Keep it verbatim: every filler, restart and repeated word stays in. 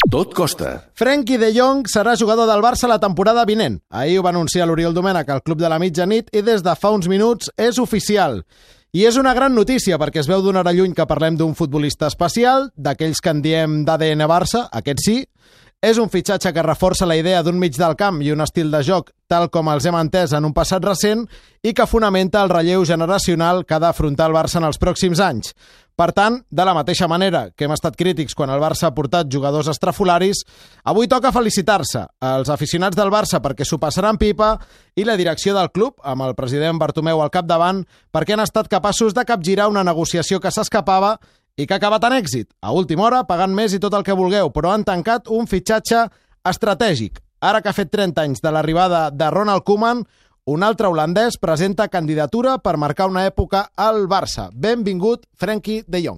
Tot costa. Frenkie de Jong serà jugador del Barça la temporada vinent. Ahir ho va anunciar l'Oriol Domènech al Club de la Mitjanit i des de fa uns minuts és oficial. I és una gran notícia perquè es veu d'una hora lluny que parlem d'un futbolista especial, d'aquells que en diem d'A D N Barça, aquest sí. És un fitxatge que reforça la idea d'un mig del camp i un estil de joc tal com els hem entès en un passat recent i que fonamenta el relleu generacional que ha d'afrontar el Barça en els pròxims anys. Per tant, de la mateixa manera que hem estat crítics quan el Barça ha portat jugadors estrafolaris, avui toca felicitar-se als aficionats del Barça perquè s'ho passaran pipa i la direcció del club, amb el president Bartomeu al capdavant, perquè han estat capaços de capgirar una negociació que s'escapava i que ha acabat en èxit. A última hora, pagant més i tot el que vulgueu, però han tancat un fitxatge estratègic. Ara que ha fet trenta anys de l'arribada de Ronald Koeman, un altre holandès presenta candidatura per marcar una època al Barça. Benvingut, Frenkie de Jong.